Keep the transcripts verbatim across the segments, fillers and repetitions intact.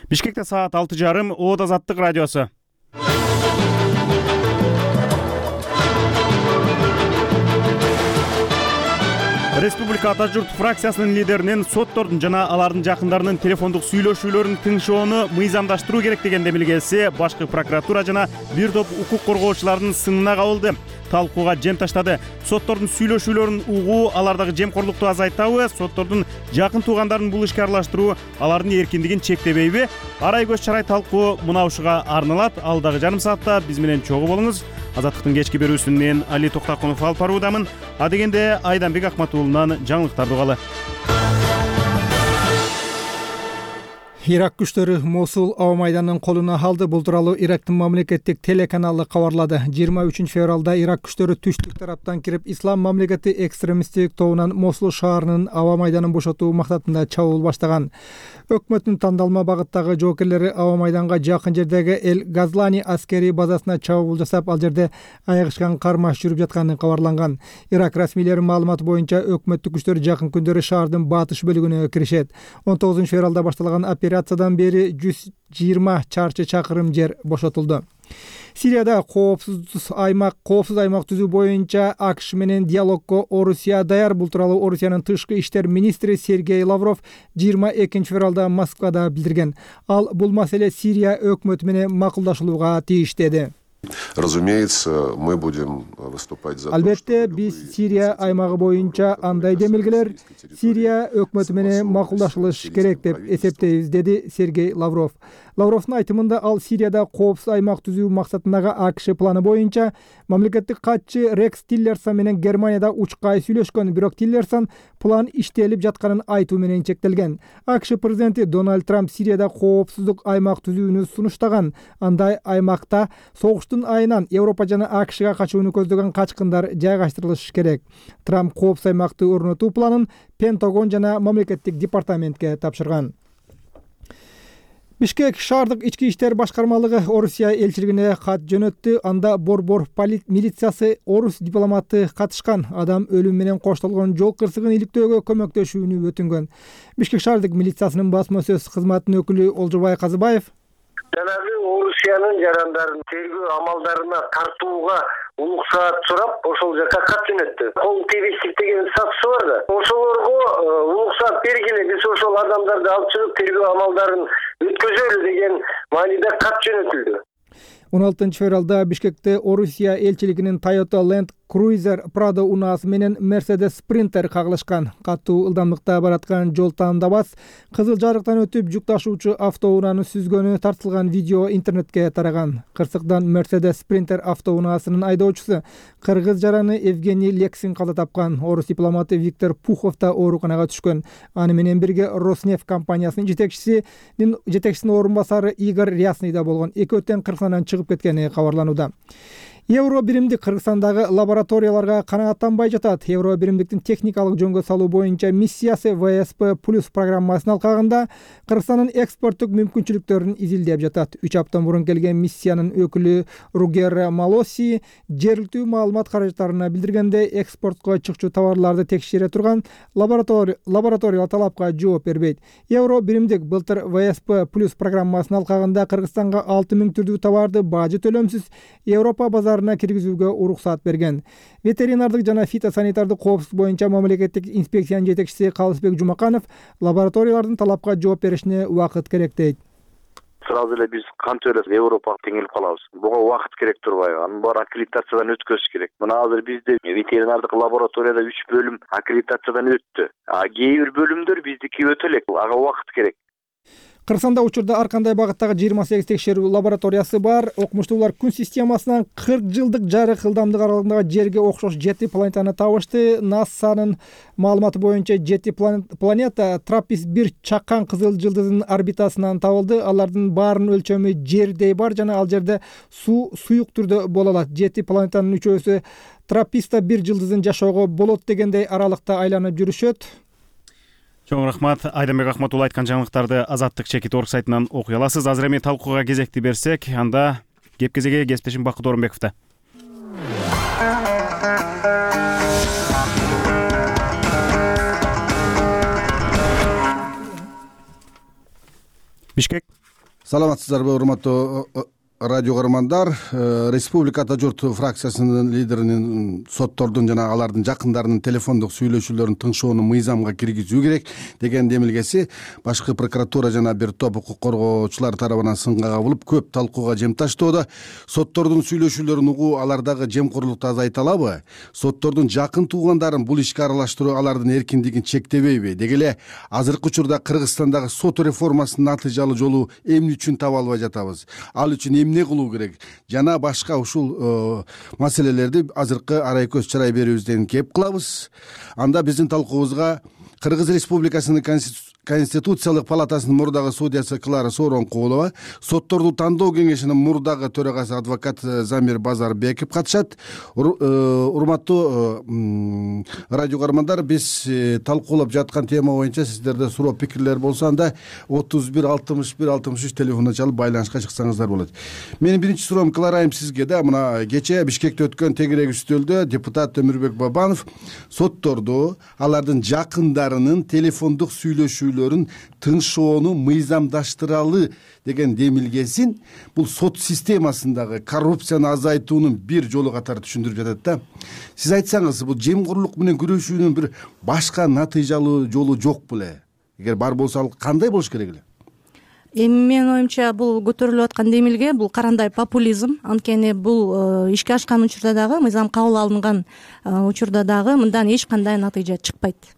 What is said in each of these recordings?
Бишкекте саат алты жарым, Оот Азаттык радиосу. Республика Ата журт фракциясынын лидеринин соттордун жана алардын жакындарынын телефондук сүйлөшүүлөрүн тыңшоону мыйзамдаштыруу керек деген демилгеси башкы прокуратура жана бир топ укук коргоочулардын сынына кабылды. Талкууга жем таштады. Соттордун сүйлөшүүлөрүн угуу алардагы жемкорлукту азайтабы, соттордун жакын туугандарын бул ишке аралаштыруу алардын эркиндигин чектебейби? Арай көз чарай талкуу мына ушуга арналат. Алдагы жарым саатта биз менен чогуу болуңуз. Азаттыктын кечки берүүсүн мен Али Токтакунов алып баруудамын. Адегенде Айданбек Акматуулунан жаңылыктарды угалы. Ирак күчтөрү Мосул аба майданын колуна алды. Бул тууралуу Ирактын мамлекеттик телеканалы кабарлады. жыйырма үчүнчү февралда Ирак күчтөрү түштүк тараптан кирип, Ислам мамлекети экстремисттик тобунан Мосул шаарынын аба майданын бошотуу максатында чабуул баштаган. Өкмөттүн тандалма багыттагы жоокерлери аба майданга жакын жердеги Эл Газлани аскерий базасына чабуул жасап, ал жерде айыгышкан кармаш жүрүп жатканы кабарланган. Ирак расмийлеринин маалыматы боюнча өкмөттүк күчтөр жакын күндөрү шаардын батыш бөлүгүнө киришет. он тогузунчу февралда башталган операциядан бери жүз жыйырма чарчы чакырым жер бошотулду. Сирияда коопсуз аймак коопсуз аймак түзүү боюнча АКШ менен диалогго Орусия даяр. Бул тууралуу Орусиянын тышкы иштер министри Сергей Лавров жыйырма экинчи февралда Москвада билдирген. Ал бул маселе Сирия өкмөтү менен макулдашылууга тийиш деди. Разумеется, мы будем выступать за. Албетте, биз Сирия аймагы боюнча андай демилгелер Сирия өкмөтү менен макулдашылыш керек деп эсептейбиз, деди Сергей Лавров. Лавровдун айтымында ал Сирияда коопсуз аймак түзүү максатындагы АКШ планы боюнча мамлекеттик катчы Рекс Тиллерсон менен Германияда учкай сүйлөшкөн, бирок Тиллерсон план иштелип жатканын айтуу менен чектелген. АКШ президенти Дональд Трамп Сирияда коопсуздук аймак түзүүнү сунуштаган. Андай аймакта согуштун айынан Европа жана АКШга качууну көздөгөн качкындар жайгаштырылышы керек. Трамп коопсуз аймакты орнотуу планын Пентагон жана мамлекеттик департаментке тапшырган. Бишкек шаардык ички иштер башкармалыгы Орусия элчилигине кат жөнөттү. Анда борбор милициясы орус дипломаты катышкан адам өлүм менен коштолгон жол кырсыгын иликтөөгө көмөктөшүүнү өтүнгөн. Бишкек шаардык милициясынын басма сөз кызматынын өкүлү Олжобай Казыбаев жанагы Орусиянын жарандарын тергөө амалдарына тартууга уруксаат сурап, ошол жака кат жөнөттү. Кол тийбестик деген статусу бар да. Ошолорго уруксаат бергиле, биз ошол адамдарды алып чыгып тергөө амалдарын өткөзөлү деген мааниде кат жөнөтүлдү. он алтынчы февралда Бишкекте Орусия элчилигинин Toyota Land Cruiser Prado унаасы менен Mercedes Sprinter кагылышкан. Катуу ылдамдыкта бараткан жол таандабас кызыл жарыктан өтүп жүк ташуучу автоунааны сүзгөнү тартылган видео интернетке тараган. Кырсыктан Mercedes Sprinter автоунаасынын айдоочусу кыргыз жараны Евгений Лексин каза тапкан. Орус дипломаты Виктор Пухов да ооруканага түшкөн. Аны менен бирге Роснефть компаниясынын жетекчисинин жетекчисинин орун басары Игорь Рясный да болгон. Экөө тең Кыргызстандан чыгып кеткени кабарланууда. Евро биримдик Кыргызстандагы лабораторияларга канааттанбай жатат. Евро биримдиктин техникалык жөнгө салуу боюнча миссиясы вэ эс пэ плюс программасынын алкагында Кыргызстандын экспорттук мүмкүнчүлүктөрүн изилдеп жатат. үч апта мурун келген миссиянын өкүлү Ругер Малоси жергиликтүү маалымат каражаттарына билдиргенде, экспортко чыкчу товарларды текшере турган лаборатория лабораториялар талапка жооп бербейт. Евро биримдик былтыр вэ эс пэ плюс программасынын алкагында Кыргызстанга алты миң түрдүү товарды бажы төлөмсүз Европа базарына киргизүүгө уруксаат берген. Ветеринардык жана фитосанитардык коопсуздук боюнча мамлекеттик инспекциянын жетекчиси Калысбек Жумаканов лабораториялардын талапка жооп беришине убакыт керек дейт. Сразу эле биз кантип эле Европага теңелип калабыз. Буга убакыт керек турбайбы? Анын баары аккредитациядан өткөзүш керек. Мына азыр бизде ветеринардык лабораторияда үч бөлүм аккредитациядан өттү. А кээ бир бөлүмдөр биздики өтө элек. Ага убакыт керек. Кыргызстанда учурда ар кандай багыттагы жыйырма сегиз текшерүү лабораториясы бар. Окумуштуулар күн системасынан кырк жылдык жарык ылдамдык аралыгындагы жерге окшош жети планетаны табышты. НАСАнын маалыматы боюнча жети планета Траппист бир чакан кызыл жылдызынын орбитасынан табылды. Алардын баарынын өлчөмү жердей бар жана ал жерде суу суюк түрдө боло алат. жети планетанын үчөөсү Трапписта бир жылдызын жашоого болот дегендей аралыкта айланып жүрүшөт. Чоң рахмат. Айданбек Акматул айткан жаңылыктарды Азаттык чекит орг сайтынан окуй аласыз. Азыр эми талкууга кезекти берсек, анда кеп кезеге кесиптешим Бакыт Орунбековда. Бишкек Саламатсыздарбы, урматтуу радио көрөрмандар. Республика Ата журт фракциясынын лидеринин соттордун жана алардын жакындарынын телефондук сүйлөшүүлөрүн тыңшоону мыйзамга киргизүү керек деген демилгеси башкы прокуратура жана бир топ укук коргоочулар тарабынан сынга кабылып көп талкууга жем таштоодо. Соттордун сүйлөшүүлөрүн угуу алардагы жемкорлукту азайта алабы? Соттордун жакын туугандарын бул ишке аралаштыруу алардын эркиндигин чектебейби? Деги эле азыркы учурда Кыргызстандагы сот реформасынын натыйжалуу жолу эмне үчүн таба албай жатабыз? Ал үчүн эмне кылуу керек? Жана башка ушул маселелерди азыркы арай көз чырай берүүбүздөн кеп кылабыз. Анда биздин талкуубузга Кыргыз Республикасынын Конституциялык палатасынын мурдагы судьясы Клара Сооронкулова, сотторду тандоо кеңешинин мурдагы төрагасы адвокат Замир Базарбеков катышат. Урматтуу радио көрөрмандар, биз талкуулап жаткан тема боюнча сиздерде суроо пикирлер болсо анда отуз бир алтымыш бир алтымыш үч телефонуна чалып байланышка чыксаңыздар болот. Менин биринчи суроом Клара айым сизге да. Мына кечээ Бишкекте өткөн тегерек үстөлдө депутат Өмүрбек Бабанов сотторду алардын жакындарынын телефондук сүйлөшүү тыңшоону мыйзамдаштыралы деген демилгесин бул сот системасындагы коррупцияны азайтуунун бир жолу катары түшүндүрүп жатат да. Сиз айтсаңыз, бул жемкорлук менен күрөшүүнүн бир башка натыйжалуу жолу жок беле? Эгер бар болсо ал кандай болуш керек эле? Эми менин оюмча бул көтөрүлүп аткан демилге бул карандай популизм. Анткени бул ишке ашкан учурда дагы, мыйзам кабыл алынган учурда дагы мындан эч кандай натыйжа чыкпайт.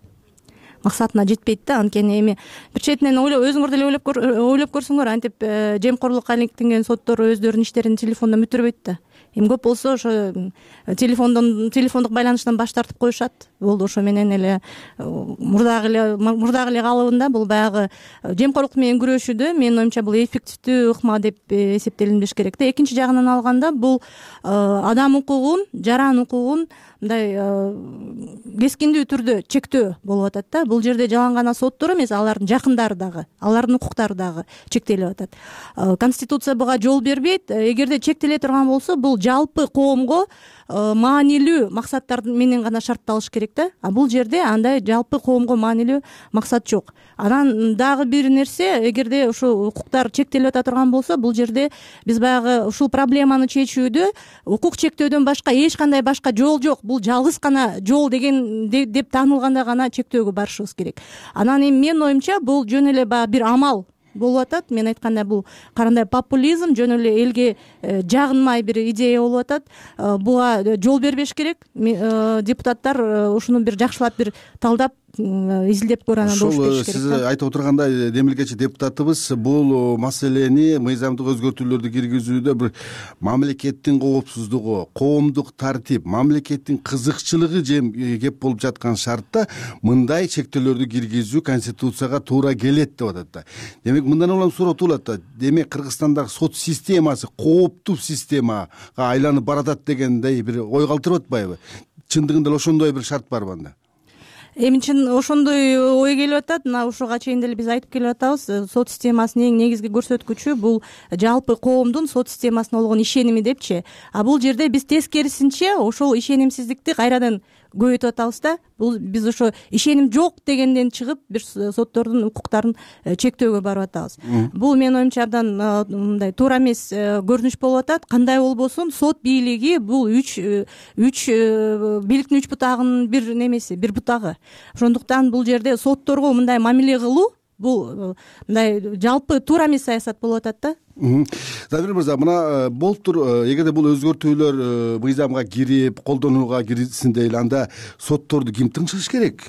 Максатына жетпейт да. Анткени эми бир четинен өзүңөр деле ойлоп ойлоп көрсөңөр, антип жемкорлукка иликтенген соттор өздөрүнүн иштерин телефондон бүтүрбөйт да. Эми көп болсо ошо телефондон телефондук байланыштан баш тартып коюшат. Болду, ошо менен эле мурдагы эле мурдагы эле калыбында бул баягы жемкорлук менен күрөшүүдө менин оюмча бул эффективдүү ыкма деп эсептелинбеш керек да. Экинчи жагынан алганда бул адам укугун, жаран укугун мындай кескиндүү түрдө чектөө болуп атат да. Бул жерде жалаң гана соттор эмес, алардын жакындары дагы, алардын укуктары дагы чектелип атат. Конституция буга жол бербейт. Эгерде чектеле турган болсо, бул жалпы коомго маанилүү максаттар менен гана шартталыш керек да. А бул жерде андай жалпы коомго маанилүү максат жок. Анан дагы бир нерсе, эгерде ушул укуктар чектелип ата турган болсо, бул жерде биз баягы ушул проблеманы чечүүдө укук чектөөдөн башка эч кандай башка жол жок. Бул жалгыз гана жол деген деп таанылганда гана чектөөгө барышыбыз керек. Анан эми менин оюмча бул жөн эле баягы бир амал болуп атат. Мен айткандай бул карандай популизм, жөн эле элге жагынмай бир идея болуп атат. Буга жол бербеш керек. Депутаттар ушуну бир жакшылап бир талдап изилдеп көргөн болуш керек. Ошол сиз айтып отургандай демилгечи депутатыбыз бул маселени, мыйзамдык өзгөртүүлөрдү киргизүүдө бир мамлекеттин коопсуздугу, коомдук тартип, мамлекеттин кызыкчылыгы жем кеп болуп жаткан шартта мындай чектөөлөрдү киргизүү Конституцияга туура келет деп атат да. Демек мындан улам суроо туулат да. Демек Кыргызстандагы сот системасы кооптуу системага айланып баратат дегендей бир ой калтырып атпайбы? Чындыгында эле ошондой бир шарт барбы анда? Эми чын ошондой ой келип атат. Мына ушуга чейин деле биз айтып келип атабыз. Сот системасынын эң негизги көрсөткүчү бул жалпы коомдун сот системасына болгон ишеними депчи. А бул жерде биз тескерисинче ошол ишенимсиздикти кайрадан көбөйтүп атабыз да. Бул биз ошо ишеним жок дегенден чыгып бир соттордун укуктарын чектөөгө барып атабыз. Бул менин оюмча абдан мындай туура эмес көрүнүш болуп атат. Кандай болбосун, сот бийлиги бул үч үч бийликтин үч бутагынын бир немеси, бир бутагы. Ошондуктан бул жерде сотторго мындай мамиле кылуу бул мындай жалпы туура эмес саясат болуп атат да. Замир мырза, мына болуптур, эгерде бул өзгөртүүлөр мыйзамга кирип, колдонууга кирилсин дейли, анда сотторду ким тыңшаш керек?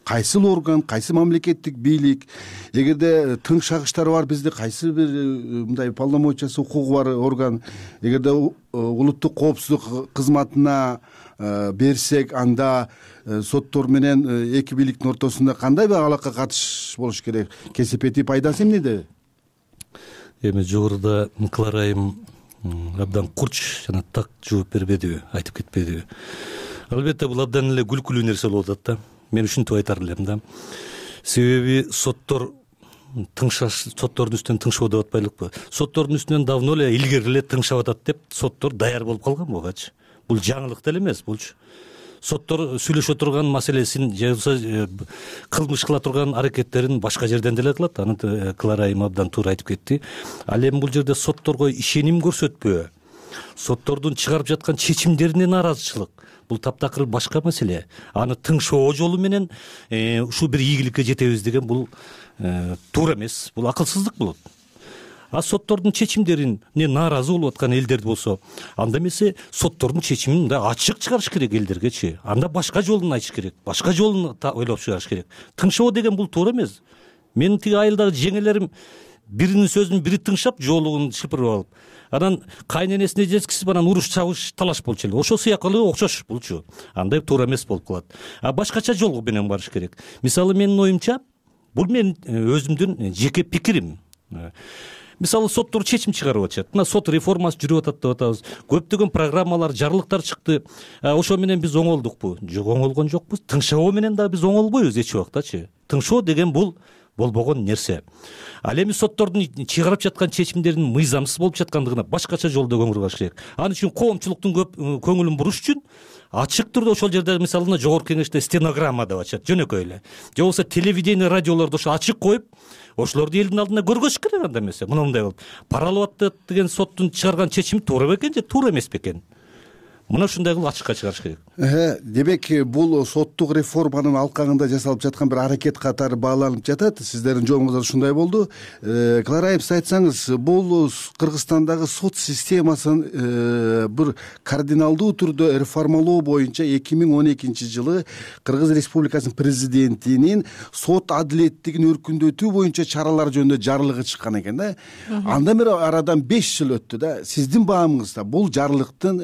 Кайсыл орган, кайсы мамлекеттик бийлик? Эгерде тыңшагычтар бар бизде, кайсы бир мындай полномочиясы, укугу бар орган? Эгерде улуттук коопсуздук кызматына берсек, анда соттор менен эки бийликтин ортосунда кандай бир алака катыш болуш керек? Кесепети пайдасы эмнеде? Эми жогоруда Клара айым абдан курч жана так жооп бербедиби, айтып кетпедиби? Албетте бул абдан эле күлкүлүү нерсе болуп атат да. Мен ушинтип айтар элем да. Себеби соттор тыңшаш, соттордун үстүнөн тыңшоо деп атпайлыкпы? Соттордун үстүнөн давно эле илгери эле тыңшап атат деп соттор даяр болуп калган бугачы. Бул жаңылык деле эмес булчу. соттор сүйлөшө турган маселесин же болбосо кылмыш кыла турган аракеттерин башка жерден деле кылат. Аны Клара айым абдан туура айтып кетти. Ал эми бул жерде сотторго ишеним көрсөтпөө, соттордун чыгарып жаткан чечимдерине нааразычылык, бул таптакыр башка маселе. Аны тыңшоо жолу менен ушул бир ийгиликке жетебиз деген бул туура эмес, бул акылсыздык болот. А соттордун чечимдерине нааразы болуп аткан элдер болсо, анда эмесе соттордун чечимин да ачык чыгарыш керек элдергечи. Анда башка жолун айтыш керек, башка жолун ойлоп чыгарыш керек. Тыңшоо деген бул туура эмес. Менин тиги айылдагы жеңелерим биринин сөзүн бири тыңшап, жоолугун шыпырып алып, анан кайненесине жеткизип анан уруш чабыш талаш болчу эле. Ошол сыяктуу окшош булчу. Андай туура эмес болуп калат. А башкача жол менен барыш керек. Мисалы менин оюмча, бул менин өзүмдүн жеке пикирим. Мисалы соттор чечим чыгарып атышат. Мына сот реформасы жүрүп атат деп атабыз. Көптөгөн программалар, жарлыктар чыкты. Ошо менен биз оңолдукпу? Жок, оңолгон жокпуз. Тыңшоо менен да биз оңолбойбуз эч убактачы. Тыңшоо деген бул болбогон нерсе. Ал эми соттордун чыгарып жаткан чечимдеринин мыйзамсыз болуп жаткандыгына башкача жолдо көңүл бураш керек. Ал үчүн коомчулуктун көп көңүлүн буруш үчүн ачык түрдө ошол жерде мисалы жогорку кеңеште стенограмма деп атышат, жөнөкөй эле. Же болбосо телевидение, радиолордо ошо ачык коюп, ошолорду элдин алдында көргөзүш керек. Анда эмесе мына мындай болуп, паралап атат деген соттун чыгарган чечими туура бекен же туура эмес бекен? Мына ушундай кылып ачыкка чыгарыш керек. Демек, бул соттук реформанын алкагында жасалып жаткан бир аракет катары бааланып жатат. Сиздердин жолуңузда ушундай болду. Клара айым, сиз айтсаңыз, бул Кыргызстандагы сот системасын бир кардиналдуу түрдө реформалоо боюнча эки миң он экинчи жылы Кыргыз Республикасынын президентинин сот адилеттигин өркүндөтүү боюнча чаралар жөнүндө жарлыгы чыккан экен да. Андан бери арадан беш жыл өттү да. Сиздин баамыңызда бул жарлыктын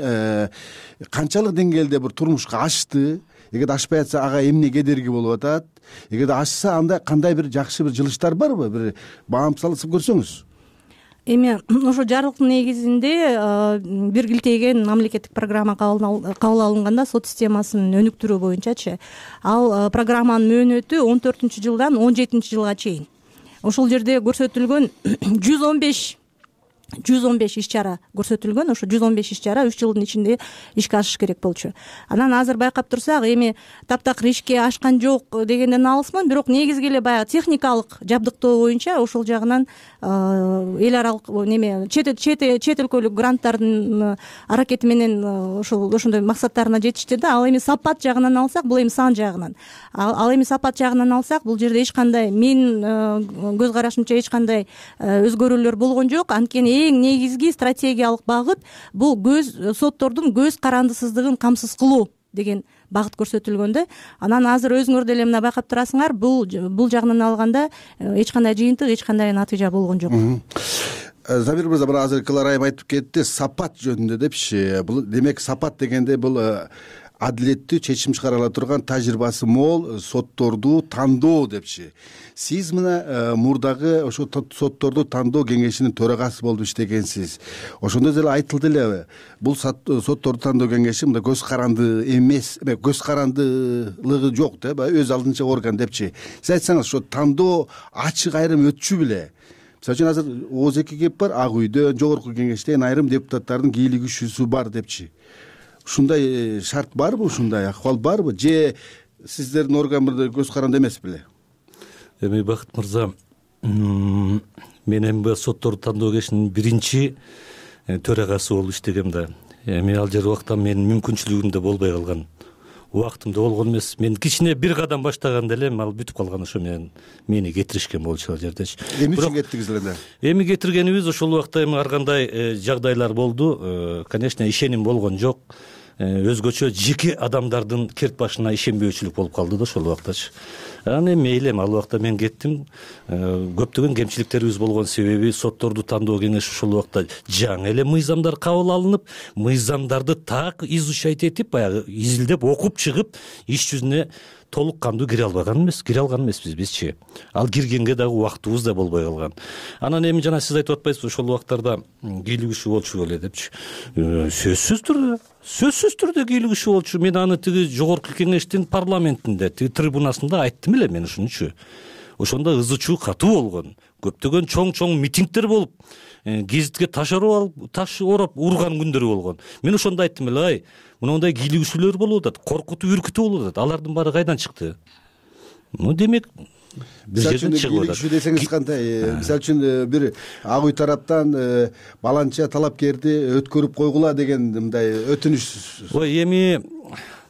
канчалык деңгээлде бир турмушка ашты? Эгерде ашпай атса, ага эмне кедерги болуп атат? Эгерде ашса, анда кандай бир жакшы бир жылыштар барбы? Бир баам салып көрсөңүз. Эми ошо жарлыктын негизинде бир килтейген мамлекеттик программа кабыл алынганда сот системасын өнүктүрүү боюнчачы, ал программанын мөөнөтү он төртүнчү жылдан он жетинчи жылга чейин. Ошол жерде көрсөтүлгөн жүз он беш жүз он беш иш чара көрсөтүлгөн. Ошо жүз он беш иш чара үч жылдын ичинде ишке ашыш керек болчу. Анан азыр байкап турсак, эми таптакыр ишке ашкан жок дегенден алысмын, бирок негизги эле баягы техникалык жабдыктоо боюнча ошол жагынан эл аралык неме чет чет өлкөлүк гранттардын аракети менен ошол ошондой максаттарына жетишти да. Ал эми сапат жагынан алсак, бул эми сан жагынан. Ал эми сапат жагынан алсак, бул жерде эч кандай, менин көз карашымча эч кандай өзгөрүүлөр болгон жок. Анткени эң негизги стратегиялык багыт бул көз соттордун көз карандысыздыгын камсыз кылуу деген багыт көрсөтүлгөн да. Анан азыр өзүңөр деле мына байкап турасыңар, бул бул жагынан алганда эч кандай жыйынтык, эч кандай натыйжа болгон жок. Замир мырза, мына азыр Клара айым айтып кетти, сапат жөнүндө депчи. Бул демек сапат дегенде бул адилеттүү чечим чыгара ала турган тажрыйбасы мол сотторду тандоо депчи. Сиз мына мурдагы ошо сотторду тандоо кеңешинин төрагасы болуп иштегенсиз. Ошондо деле айтылды эле, бул сотторду тандоо кеңеши мында көз каранды эмес, көз карандылыгы жок да, өз алдынча орган депчи. Сиз айтсаңыз, ошо тандоо ачык айрым өтчү беле? Мисалы үчүн азыр ооз эки кеп бар, Ак үйдөн, жогорку кеңештен айрым депутаттардын кийлигишүүсү бар депчи. Ушундай шарт барбы, ушундай акыбал барбы, же сиздердин орган бир көз каранды эмес беле? Эми Бакыт мырза, мен эми сотторду тандоо кеңешинин биринчи төрагасы болуп иштегем да. Эми ал жер убакта менин мүмкүнчүлүгүм да болбой калган. Убактымда болгон эмес. Мен кичине бир кадам баштаганда эле ал бүтүп калган, ошо менен мени кетиришкен болчу ал жердечи. Эмне үчүн кеттиңиз эле? Эми кетиргенибиз ошол убакта эми ар кандай жагдайлар болду. Конечно, ишеним болгон жок. Өзгөчө жеке адамдардын керт башына ишенбөөчүлүк болуп калды да ошол убактачы. Анан эми мейли, ал убакта мен кеттим. Көптөгөн кемчиликтерибиз болгон себеби сотторду тандоо кеңеши ошол убакта жаңы эле мыйзамдар кабыл алынып, мыйзамдарды так изучать этип, баягы изилдеп окуп чыгып, иш жүзүнө толук кандуу кире албаган эмес, кире алган эмеспиз бизчи. Ал киргенге дагы убактыбыз да болбой калган. Анан эми жана сиз айтып атпайсызбы, ошол убактарда кийлигишүү болчу беле депчи. Сөзсүз түрдө, сөзсүз түрдө кийлигишүү болчу. Мен аны тиги жогорку кеңештин парламентинде, тиги трибунасында айттым эле мен ушунчу. ошондо ызы чуу катуу болгон, көптөгөн чоң чоң митингдер болуп, гезитке таш ороп алып таш ороп урган күндөрү болгон. Мен ошондо айттым эле, ай, мындай кийлигишүүлөр болуп атат, коркутуу, үркүтүү болуп атат. Алардын баары кайдан чыкты? Ну, демек бир жерден чыгып атат. Кийлигишүү десеңиз кандай? Мисалы үчүн бир ак үй тараптан баланча талапкерди өткөрүп койгула деген мындай өтүнүш. Ой, эми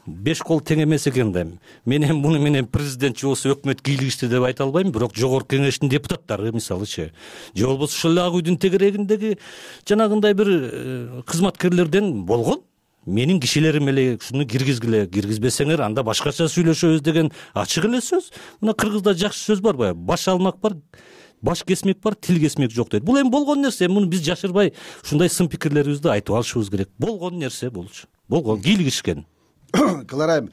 беш кол тең эмес экен да. Мен эми муну менен президент же болбосо өкмөт кийлигишти деп айта албайм, бирок жогорку кеңештин депутаттары мисалычы, же болбосо ошол ак үйдүн тегерегиндеги жанагындай бир кызматкерлерден болгон. Менин кишилерим эле ушуну киргизгиле, киргизбесеңер анда башкача сүйлөшөбүз деген ачык эле сөз. Мына кыргызда жакшы сөз бар баягы, баш алмак бар, баш кесмек бар, тил кесмек жок дейт. Бул эми болгон нерсе, муну биз жашырбай ушундай сын пикирлерибизди айтып алышыбыз керек. Болгон нерсе болчу. Болгон, кийлигишкен. Клара айым,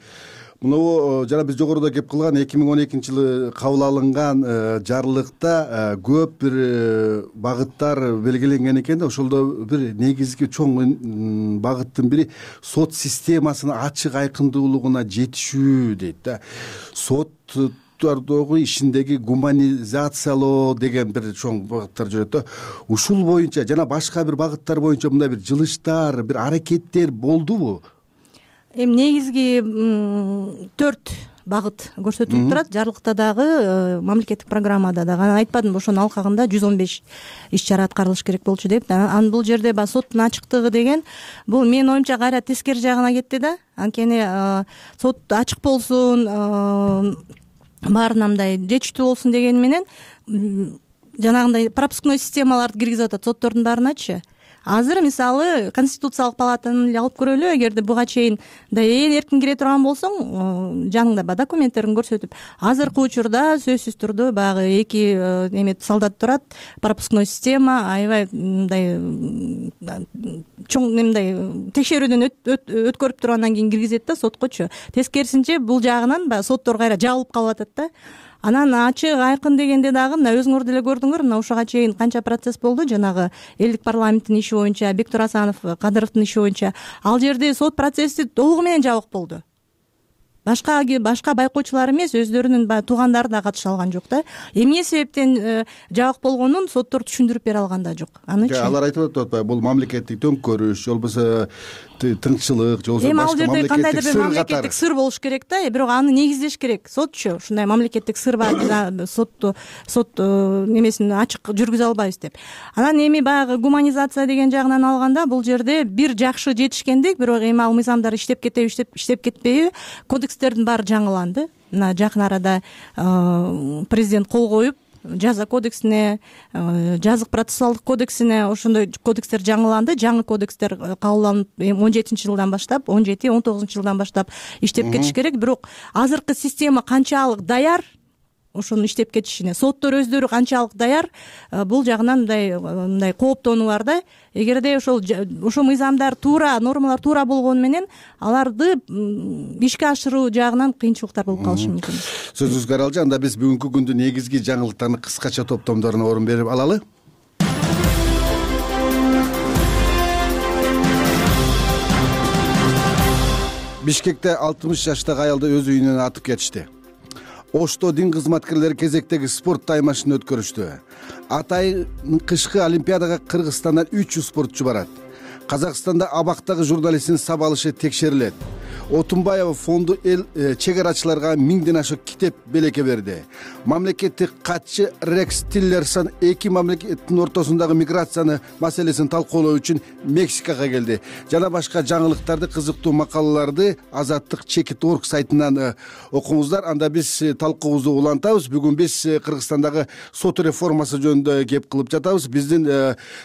муну жана биз жогоруда кеп кылган эки миң он экинчи жылы кабыл алынган жарлыкта көп бир багыттар белгиленген экен да. Ошолдо бир негизги чоң багыттын бири сот системасынын ачык айкындуулугуна жетишүү дейт да. Соттардагы ишиндеги гуманизациялоо деген бир чоң багыттар жүрөт да. Ушул боюнча жана башка бир багыттар боюнча мындай бир жылыштар, бир аракеттер болдубу? Эми негизги төрт багыт көрсөтүлүп турат. Жарлыкта дагы, мамлекеттик программада дагы. Анан айтпадымбы, ошонун алкагында жүз он беш иш чара аткарылыш керек болчу деп. Анан бул жерде баягы соттун ачыктыгы деген, бул менин оюмча кайра тескери жагына кетти да. Анткени сот ачык болсун, баарына мындай жетиштүү болсун деген менен жанагындай пропускной системаларды киргизип атат соттордун баарыначы. Азыр мисалы Конституциялык палатаны эле алып көрөлү, эгерде буга чейин да ээн эркин кире турган болсоң, жаныңда баягы документтерин көрсөтүп, азыркы учурда сөзсүз түрдө баягы эки эме солдат турат, пропускной система, аябай мындай чоң мындай текшерүүдөн өткөрүп туруп андан кийин киргизет да соткочу. Тескерисинче бул жагынан баягы соттор кайра жабылып калып атат да. Анан ачык айкын дегенде дагы мына өзүңөр деле көрдүңөр, мына ушуга чейин канча процесс болду, жанагы элдик парламенттин иши боюнча, Бектур Асанов, Кадыровдун иши боюнча. Ал жерде сот процесси толугу менен жабык болду. Башка башка байкоочулар эмес, өздөрүнүн баягы туугандары да катыша алган жок да. Эмне себептен жабык болгонун соттор түшүндүрүп бере алган да жок. Анычы алар айтып атат, бул мамлекеттик төңкөрүш, же болбосо тынччылык, же болбосо башка мамлекеттик кандайдыр бир мамлекеттик сыр болуш керек да, бирок аны негиздеш керек. Сотчу ушундай мамлекеттик сыр бар, сотту сот немесин ачык жүргүзө албайбыз деп. Анан эми баягы гуманизация деген жагынан алганда, бул жерде бир жакшы жетишкендик, бирок эми ал мыйзамдар иштеп кетеби, иштеп кетпейби, кодекстердин баары жаңыланды. Мына жакын арада президент кол коюп, жаза кодексине, жазык процессуалдык кодексине ошондой кодекстер жаңыланды. Жаңы кодекстер кабылданып он жетинчи жылдан баштап, он жети он тогузунчу жылдан баштап иштеп кетиш керек. Бирок азыркы система канчалык даяр ошону иштеп кетишине, соттор өздөрү канчалык даяр, бул жагынан мындай мындай кооптонуу бар да. Эгерде ошол ошо мыйзамдар туура, нормалар туура болгону менен аларды ишке ашыруу жагынан кыйынчылыктар болуп калышы мүмкүн. Сөзүңүзгө аралжы, анда биз бүгүнкү күндүн негизги жаңылыктарын кыскача топтомдоруна орун берип алалы. Бишкекте алтымыш жаштагы аялды өз үйүнөн атып кетишти. Ошто дин кызматкерлери кезектеги спорт таймашын өткөрүштү. Атайын кышкы олимпиадага Кыргызстандан үч жүз спортчу барат. Казакстанда абактагы журналисттин сабалышы текшерилет. Отунбаева фонду эл чек-арачыларга миңден ашык китеп белеке берди. Мамлекеттик катчы Рекс Тиллерсон эки мамлекеттин ортосундагы миграцияны маселесин талкуулоо үчүн Мексикага келди. Жана башка жаңылыктарды, кызыктуу макалаларды Азаттык чекит точка орг сайтынан окуңуздар. Анда биз талкуубузду улантабыз. Бүгүн биз Кыргызстандагы сот реформасы жөнүндө кеп кылып жатабыз. Биздин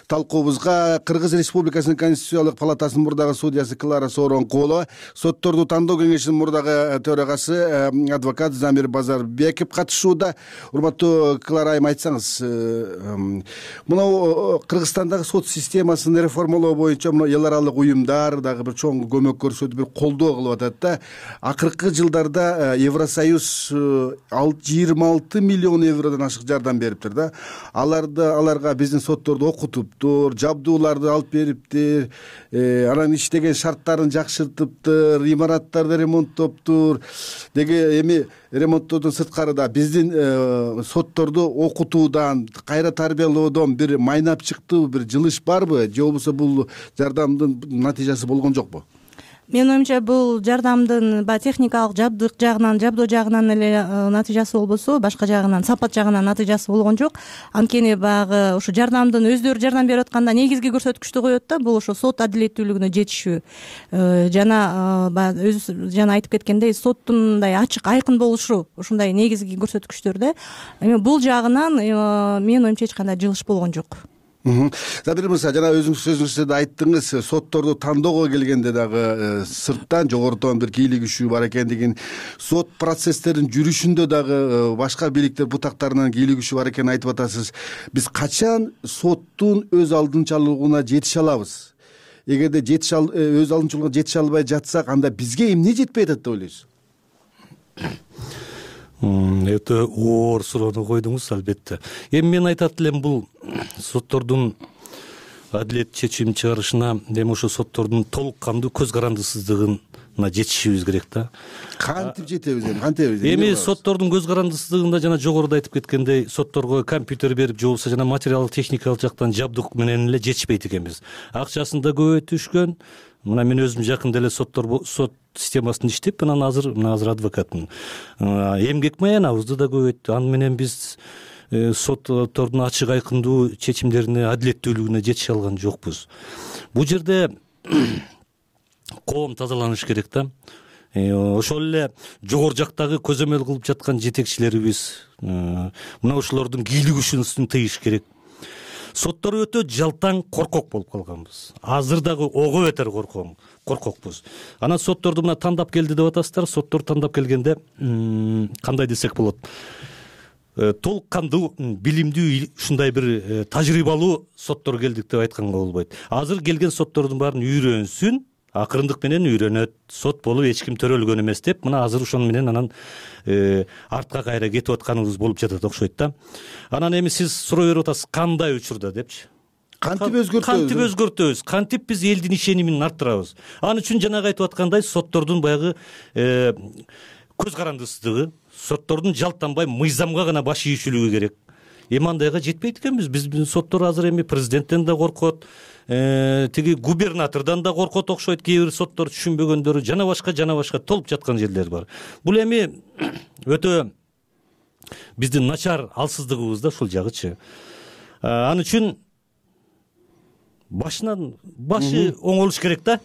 талкуубузга Кыргыз Республикасынын Конституциялык палатасынын мурдагы судьясы Клара Сооронкулова, сотторду тандоо кеңешинин мурдагы төрагасы адвокат Замир Базарбеков катышууда. Урматтуу Клара айым, айтсаңыз, мына Кыргызстандагы сот системасын реформалоо боюнча мына эл аралык уюмдар дагы бир чоң көмөк көрсөтүп, бир колдоо кылып атат да. Акыркы жылдарда Евросоюз жыйырма алты миллион евродон ашык жардам бериптир да. Аларды аларга биздин сотторду окутуптур, жабдууларды алып бериптир, анан иштеген шарттарын жакшыртыптыр, имараттарды ремонттоптур деги. Эми ремонттоодон сырткары да биздин сотторду окутуудан, кайра тарбиялоодон бир майнап чыктыбы, бир жылыш барбы, же болбосо бул жардамдын натыйжасы болгон жокпу? Менин оюмча бул жардамдын баягы техникалык жабдык жагынан, жабдоо жагынан эле натыйжасы болбосо, башка жагынан, сапат жагынан натыйжасы болгон жок. Анткени баягы ушу жардамдын өздөрү жардам берип атканда негизги көрсөткүчтү коет да, бул ошо сот адилеттүүлүгүнө жетишүү жана баягы өзү жана айтып кеткендей соттун мындай ачык, айкын болушу ушундай негизги көрсөткүчтөр да. Эми бул жагынан менин оюмча эч кандай жылыш болгон жок. Задыр мырза, жана өзүңүз сөзүңүздө да айттыңыз, сотторду тандоого келгенде дагы сырттан жогорудон бир кийлик күчү бар экендигин, сот процесстерин жүрүшүндө дагы башка бийликтер бутактарынан кийлик күчү бар экенин айтып атасыз. Биз качан соттун өз алдынчалуулугуна жетише алабыз? Эгерде жетише өз алдынчалуулугуна жетише албай жатсак, анда бизге эмне жетпей атат деп ойлойсуз? Өтө оор суроону койдуңуз, албетте. Эми мен айтат элем, бул соттордун адилет чечим чыгарышына эми ошо соттордун толук кандуу көз карандысыздыгына жетишибиз керек да. Кантип жетебиз эми? Кантебиз? Эми соттордун көз карандысыздыгында жана жогоруда айтып кеткендей, сотторго компьютер берип, же болбосо жана материалдык техникалык жактан жабдык менен эле жетишпейт экенбиз. Акчасын да көбөйтүшкөн. Мына мен өзүм жакында эле соттор сот системасында иштеп, анан азыр мына азыр адвокатмын. Эмгек маянабызды да көбөйттү. Аны менен биз соттордун ачык, айкындуу чечимдерине, адилеттүүлүгүнө жетише алган жокпуз. Бул жерде коом тазаланыш керек да. Ошол эле жогору жактагы көзөмөл кылып жаткан жетекчилерибиз мына ушулордун кийлик күчүн тыйыш керек. Соттор өтө жалтаң, коркок болуп калганбыз. Азыр дагы ого бетер коркокпуз. Анан сотторду мына тандап келди деп атасыздар. Соттор тандап келгенде кандай десек болот? Толук кандуу, билимдүү, ушундай бир тажрыйбалуу соттор келдик деп айтканга болбойт. Азыр келген соттордун баарын үйрөнсүн, акырындык менен үйрөнөт. Сот болуп эч ким төрөлгөн эмес деп, мына азыр ошону менен анан артка кайра кетип атканыбыз болуп жатат окшойт да. Анан эми сиз суроо берип атасыз, кандай учурда депчи. Кантип өзгөртөбүз? Кантип өзгөртөбүз? Кантип биз элдин ишенимин арттырабыз? Ал үчүн жанагы айтып аткандай соттордун баягы көз карандысыздыгы, соттордун жалтанбай мыйзамга гана баш ийишүүлүгү керек. Эми андайга жетпейт экенбиз. Биздин соттор азыр эми президенттен да коркот, тиги губернатордон да коркот окшойт, кээ бир соттор түшүнбөгөндөрү, жана башка жана башка толуп жаткан жерлер бар. Бул эми өтө биздин начар алсыздыгыбыз да ушул жагычы. Ал үчүн башынан башы оңолуш керек да.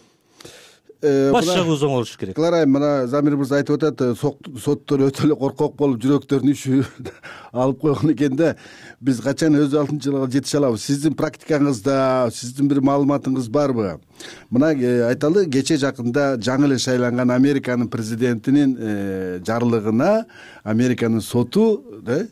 Баш жагыбыз оңолуш керек. Кыларайм, мына Замир мырза айтып атат, соттор өтө эле коркок болуп, жүрөктөрүн ишүү алып койгон экен да. Биз качан өз алдынчалыгына жетише алабыз? Сиздин практикаңызда, сиздин бир маалыматыңыз барбы? Мына айталы, кече жакында жаңы эле шайланган Американын президентинин жарлыгына Американын соту да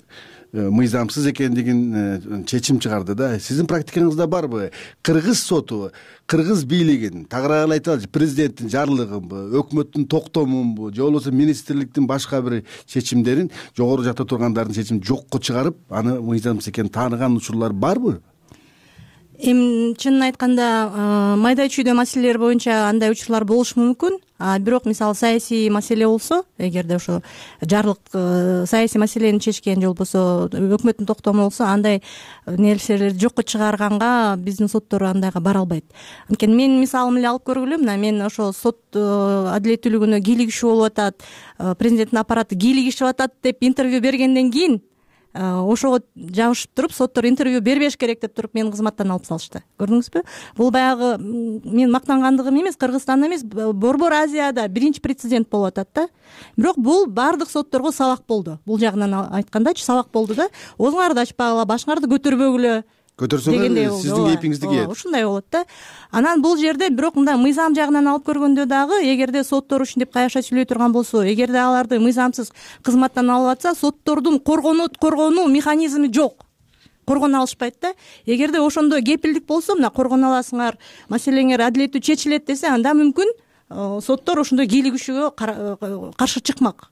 мыйзамсыз экендигин чечим чыгарды да. Сиздин практикаңызда барбы? Кыргыз соту, кыргыз бийлигин тагырааган айталы, президенттин жарлыгынбы, өкмөттүн токтомунбу, же болбосо министрликтин башка бир чечимдерин жогору жакта тургандардын чечимин жокко чыгарып, аны мыйзамсыз экенин тааныган учурлар барбы? Эми чынын айтканда, майда чүйдө маселелер боюнча андай учурлар болушу мүмкүн. А бирок мисалы саясий маселе болсо, эгерде ошо жарлык саясий маселени чечкен же болбосо өкмөттүн токтому болсо, андай нерселерди жокко чыгарганга биздин соттор андайга бара албайт. Анткени мен мисалым эле алып көргүлө, мына мен ошо сот адилеттүүлүгүнө кийлик күчү болуп атат, президенттин аппараты кийлик ишип атат деп интервью бергенден кийин ошого жабышып туруп, соттор интервью бербеш керек деп туруп мени кызматтан алып салышты. Көрдүңүзбү? Бул баягы мен мактангандыгым эмес, Кыргызстанда эмес, Борбор Азияда биринчи прецедент болуп атат да. Бирок бул баардык сотторго сабак болду. Бул жагынан айткандачы сабак болду да. Оозуңарды ачпагыла, башыңарды көтөрбөгүлө. Көтөрсөңөр сиздин кепиңизди кийет. Ушундай болот да. Анан бул жерде бирок мындай мыйзам жагынан алып көргөндө дагы, эгерде соттор ушинтип кайраша сүйлөй турган болсо, эгерде аларды мыйзамсыз кызматтан алып атса, соттордун коргонот коргонуу механизми жок. Коргоно алышпайт да. Эгерде ошондой кепилдик болсо, мына коргоно аласыңар, маселеңер адилеттүү чечилет десе, анда мүмкүн соттор ошондой кийлик күчүгө каршы чыкмак.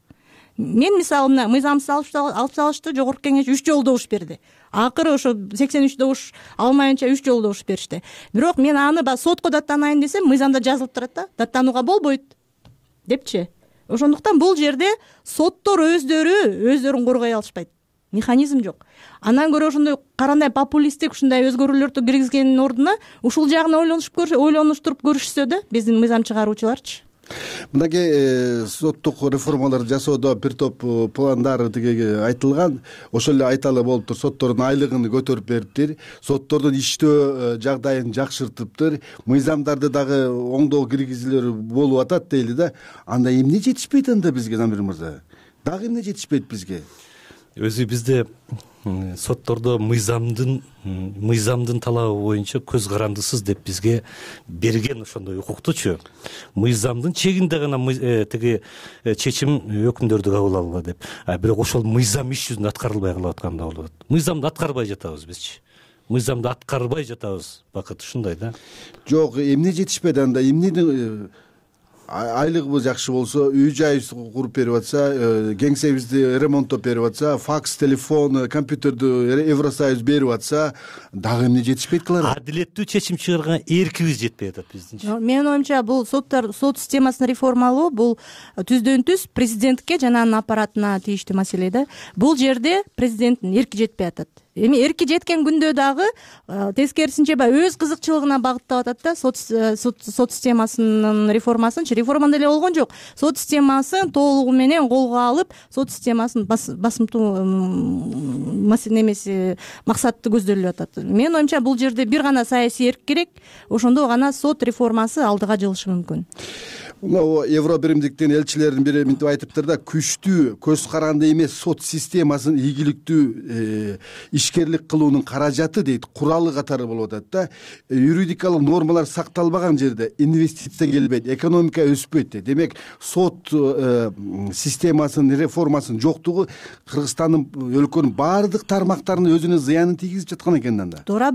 Мен мисалы мына мыйзамсыз алып салышты, жогорку кеңеш үч жолу добуш берди. Акыры ошо сексен үч добуш алмайынча үч жолу добуш беришти. Бирок мен аны ба сотко даттанайын десем, мыйзамда жазылып турат да, даттанууга болбойт. депчи. Ошондуктан бул жерде соттор өздөрү өздөрүн коргой алышпайт. Механизм жок. Андан көрө ошондой карандай популисттик ушундай өзгөрүүлөрдү киргизгендин ордуна ушул жагын ойлонушуп көрүш, ойлонуштуруп көрүшсө да биздин мыйзам чыгаруучуларчы. Мынакей соттук реформалар жасоодо бир топ пландар тиги айтылган. Ошол эле айталы болуптур. Соттордун айлыгын көтөрүп бериптир. Соттордун иштөө жагдайын жакшыртыптыр. Мыйзамдарды дагы оңдоо киргизүүлөр болуп атат дейли да. Анда эмне жетишпейт анда бизге, Замир мырза? Дагы эмне жетишпейт бизге? Өзү бизде соттордо мыйзамдын мыйзамдын талабы боюнча көз карандысыз деп бизге берген ошондой укуктучу. Мыйзамдын чегинде гана тиги чечим өкүмдөрдү кабыл алгыла деп. А бирок ошол мыйзам иш жүзүндө аткарылбай калып атканда болот. Мыйзамды аткарбай жатабыз бизчи. Мыйзамды аткарбай жатабыз. Бакыт ушундай да. Жок, эмне жетишпейт анда? Эмне айлыгыбыз жакшы болсо, үй жай куруп берип атса, кеңсебизди ремонттоп берип атса, факс, телефон, компьютерди Евросоюз берип атса, дагы эмне жетишпейт кылар? Адилеттүү чечим чыгарган эркибиз жетпей атат биздинчи. Менин оюмча бул соттор сот системасын реформалоо бул түздөн түз президентке жана анын аппаратына тийиштүү маселе да. Бул жерде президенттин эрки жетпей атат. Эми эрки жеткен күндө дагы тескерисинче баягы өз кызыкчылыгына багыттап атат да. Сот сот системасынын реформасынчы реформа деле болгон жок. Сот системасын толугу менен колго алып, сот системасын басымтуу немеси максаты көздөлүп атат. Менин оюмча бул жерде бир гана саясий эрк керек. Ошондо гана сот реформасы алдыга жылышы мүмкүн. Мына Евро биримдиктин элчилеринин бири мынтип айтыптыр да, күчтүү, көз каранды эмес сот системасын ийгиликтүү ишкерлик кылуунун каражаты дейт, куралы катары болуп атат да. Юридикалык нормалар сакталбаган жерде инвестиция келбейт, экономика өспөйт дейт. Демек, сот системасынын реформасынын жоктугу Кыргызстандын өлкөнүн баардык тармактарына өзүнө зыянын тийгизип жаткан экен анда. Туура,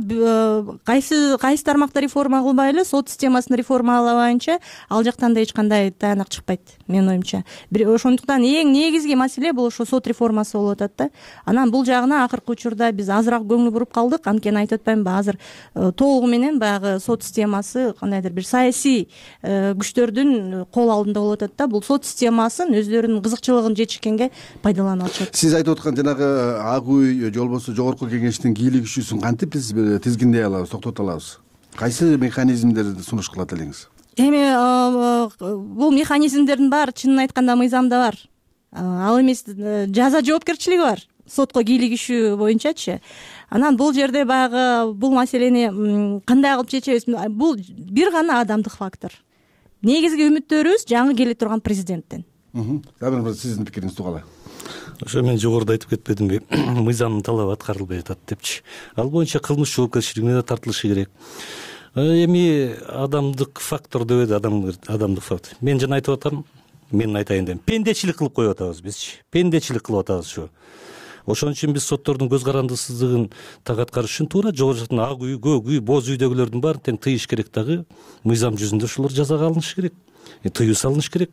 кайсы кайсы тармакта реформа кылбайлы, сот системасын реформалабайынча ал жактан да эч кандай таянак чыкпайт, менин оюмча. Ошондуктан эң негизги маселе бул ошо сот реформасы болуп атат да. Анан бул жагына акыркы учурда биз азыраак көңүл буруп калдык. Анткени айтып атпаймынбы, азыр толугу менен баягы сот системасы кандайдыр бир саясий күчтөрдүн кол алдында болуп атат да. Бул сот системасын өздөрүнүн кызыкчылыгын жетишкенге пайдалана алышат. Сиз айтып аткан жанагы ак үй же болбосо жогорку кеңештин кийлик ишүүсүн кантип биз тизгиндей алабыз, токтото алабыз? Кайсы механизмдерди сунуш кылат элеңиз? Эми бул механизмдердин баары чынын айтканда мыйзамда бар. Ал эмес жаза жоопкерчилиги бар сотко кийлик ишүү боюнчачы. Анан бул жерде баягы бул маселени кандай кылып чечебиз? Бул бир гана адамдык фактор. Негизги үмүттөрүбүз жаңы келе турган президенттен. Замир мырза, сиздин пикириңизди угалы. Ошо мен жогоруда айтып кетпедимби, мыйзамдын талабы аткарылбай атат депчи. Ал боюнча кылмыш жоопкерчилигине да тартылышы керек. Эми адамдык фактор деп эди, адамдык фактор. Мен жана айтып атам, мен айтайын дедим. Пендечилик кылып коюп атабыз бизчи. Пендечилик кылып атабыз ушу. Ошон үчүн биз соттордун көз карандысыздыгын так аткарыш үчүн туура жогору жактан ак үй, көк үй, боз үйдөгүлөрдүн баарын тең тыйыш керек дагы. Мыйзам жүзүндө ошолор жазага алынышы керек. Тыюу салыныш керек.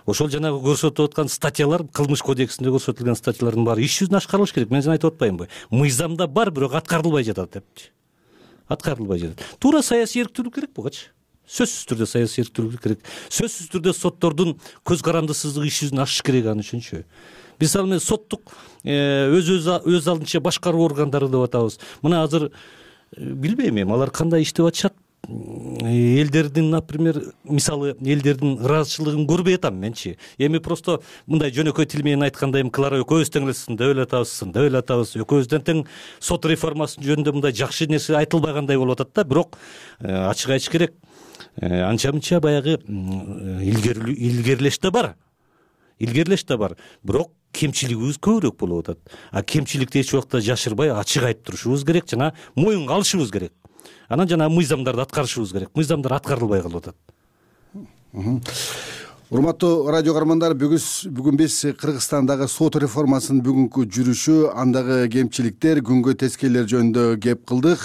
Ошол жанагы көрсөтүп аткан статьялар, кылмыш кодексинде көрсөтүлгөн статьялардын баары иш жүзүндө ашкарылыш керек. Мен жана айтып атпаймынбы? Мыйзамда бар, бирок аткарылбай жатат депчи. Аткарылбай жатат. Туура саясий эрктүүлүк керек бугачы. Сөзсүз түрдө саясий эрктүүлүк керек. Сөзсүз түрдө соттордун көз карандысыздыгы иш жүзүнө ашыш керек аны үчүнчү. Биз ал менен соттук өз өз алдынча башкаруу органдары деп атабыз. Мына азыр билбейм эми алар кандай иштеп атышат. Элдердин, например, мисалы элдердин ыраазычылыгын көрбөй атам менчи. Эми просто мындай жөнөкөй тил менен айтканда эми Клара экөөбүз тең эле сындап эле атабыз, сындап эле атабыз. Экөөбүздөн тең сот реформасы жөнүндө мындай жакшы нерсе айтылбагандай болуп атат да, бирок ачык айтыш керек. Анча-мынча баягы илгерилеш да бар. Илгерилеш да бар. Бирок кемчилигибиз көбүрөөк болуп атат. А кемчиликти эч убакта жашырбай ачык айтып турушубуз керек жана моюнга алышыбыз керек. Анан жана мыйзамдарды аткарышыбыз керек. Мыйзамдар аткарылбай калып атат. Урматтуу радио каармандар, бүгүн биз Кыргызстандагы сот реформасынын бүгүнкү жүрүшү, андагы кемчиликтер, күнгө тескейлер жөнүндө кеп кылдык.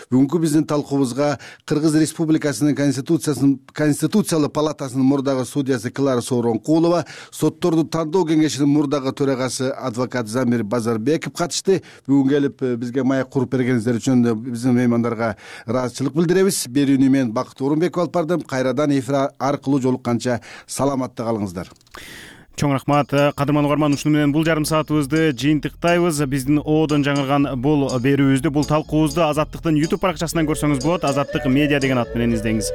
Бүгүнкү биздин талкуубузга Кыргыз Республикасынын Конституциясынын Конституциялык палатасынын мурдагы судьясы Клара Сооронкулова, сотторду тандоо кеңешинин мурдагы төрагасы адвокат Замир Базарбеков катышты. Бүгүн келип бизге маек куруп бергениңиздер үчүн биздин меймандарга ыраазычылык билдиребиз. Берүүнү мен Бакыт Орунбеков алып бардым. Кайрадан эфир аркылуу жолукканча саламатта калыңыздар. Чоң рахмат. Кадырман угарман, ушуну менен бул жарым саатыбызды жыйынтыктайбыз. Биздин одон жаңырган бул берүүбүздү, бул талкуубузду Азаттыктын YouTube баракчасынан көрсөңүз болот. Азаттык медиа деген ат менен издеңиз.